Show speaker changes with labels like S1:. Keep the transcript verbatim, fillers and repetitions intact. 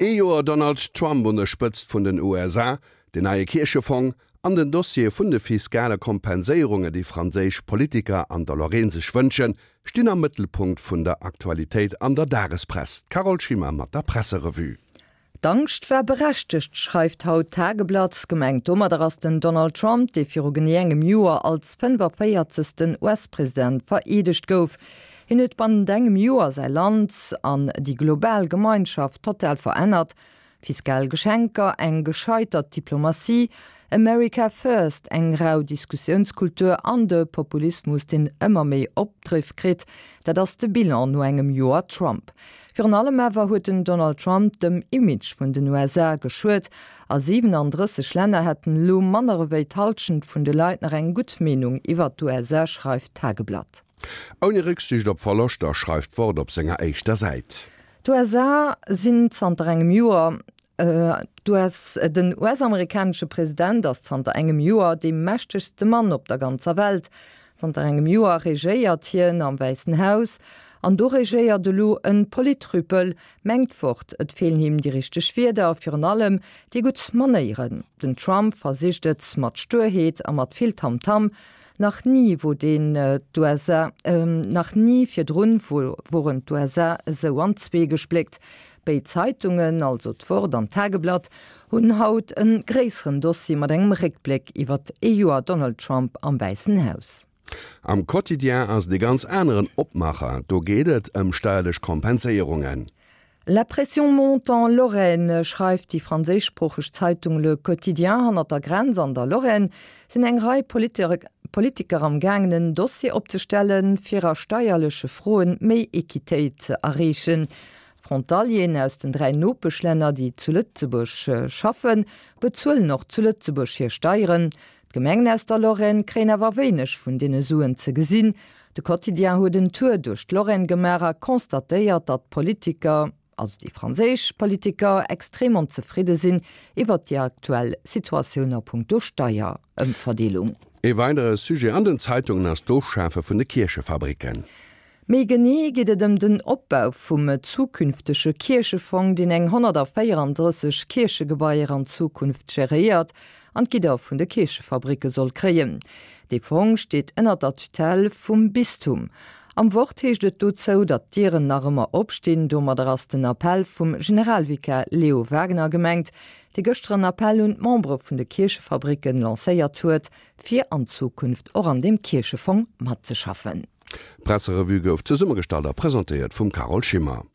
S1: Ee Joer Donald Trump un der Spëtzt vun den U S A, den neie Kierchefong an den Dossier vun de fiskale Kompenséierungen, déi franséisch Politiker an der Lorraine sech wënschen, stinn am Mëttelpunkt vun der Aktualitéit an der Dagespress. Carole Schimmer mat der Presserevue.
S2: D'Angscht war berechtegt, schreift haut d'Tageblatt. Gemengt domadder ass den Donald Trump, dee viru genee engem Joer als fënnefaféierzegsten U S-President vereedegt gouf. Hien huet bannent engem Joer säi Land an déi global Gemeinschaft total verännert. Fiskal Geschenker, eng gescheitert Diplomatie, America First, eng rau Diskussiounskultur an de Populismus, deen ëmmer méi Opdriff kritt, dat ass de Bilan no engem Joer Trump. Virun allem awer huet den Donald Trump dem Image vun den U S A geschuet. A siewenunddrësseg Länner hätten elo manner ewéi d'Hallschent vun de Leit nach eng gutt Meenung iwwer d'U S A, schreift d'Tageblatt.
S1: Ouni Récksiicht op Verloschter, schreift d'Wort op senger éischter Säit.
S2: D'U S A sinn zanter engem Joer äh, d'U S, den U S-amerikanesche President ass zanter engem Joer dee mächtegste Mann op der ganzer Welt. Zanter engem Joer regéiert hien am Wäissen Haus an do regéiert elo e Politrüppel, mengt d'Wort. Et feelen him déi richteg Wierder, virun allem déi gutt Manéieren. Den Trump versicht et mat Sturheet a mat vill Tamtam. Nach ni wor den äh, d'U S A äh, nach ni virdrun woren d'U S A esou an zwee gespléckt. Béid Zeitungen, also d'Wort an d'Tageblatt, hunn haut e gréisseren Dossier mat engem Réckbléck iwwer ee Joer Donald Trump am Wäissen Haus.
S1: Am Quotidien ass et e ganz aneren Opmaacher, do geet et ëm steierlech Kompenséierungen.
S2: La pression monte en Lorraine, schreift déi franséischsproocheg Zeitung Le Quotidien. Hannert der Grenz an der Lorraine sinn eng Rei Politiker am gaangen, en Dossier opzestellen, fir a steierleche Froen méi Equitéit ze erreechen. Frontalieren aus den dräi Nopeschlänner, déi zu Lëtzebuerg schaffen, bezuelen och zu Lëtzebuerg hir Steieren. D'Gemengen aus der Lorraine kréien awer wéineg vun deene Suen ze gesinn. De Quotidien huet en Tour duerch d'Lorraine gemaach a constatéiert, datt d'Politiker, also déi franséisch Politiker, extrem onzefridde sinn iwwer déi aktuell Situatioun a punkto Steierëmverdeelung.
S1: E weidere Sujet an den Zeitungen ass d'Ofschafe vun de Kierchefabricken.
S2: Méi genee geet et ëm den Opbau vum zukünftege Kierchefong, deen eng honnertvéierundrësseg Kierchegebaier an Zukunft geréiert an d'Gidder vun de Kierchefabricke soll kréien. De Fong steet ënner der Tutelle vum Bistum. Am Wort heescht et dozou, datt d'Dieren nach ëmmer opstinn. Domadder ass den Appell vum Generalvikar Leo Wagener gemengt, dee gëschter en Appell un d'Membere vun de Kierchefabricken lancéiert huet, fir an Zukunft och an deem Kierchefong matzeschaffen.
S1: D'Presserevue gouf zesummegestallt a presentéiert vum Carole Schimmer.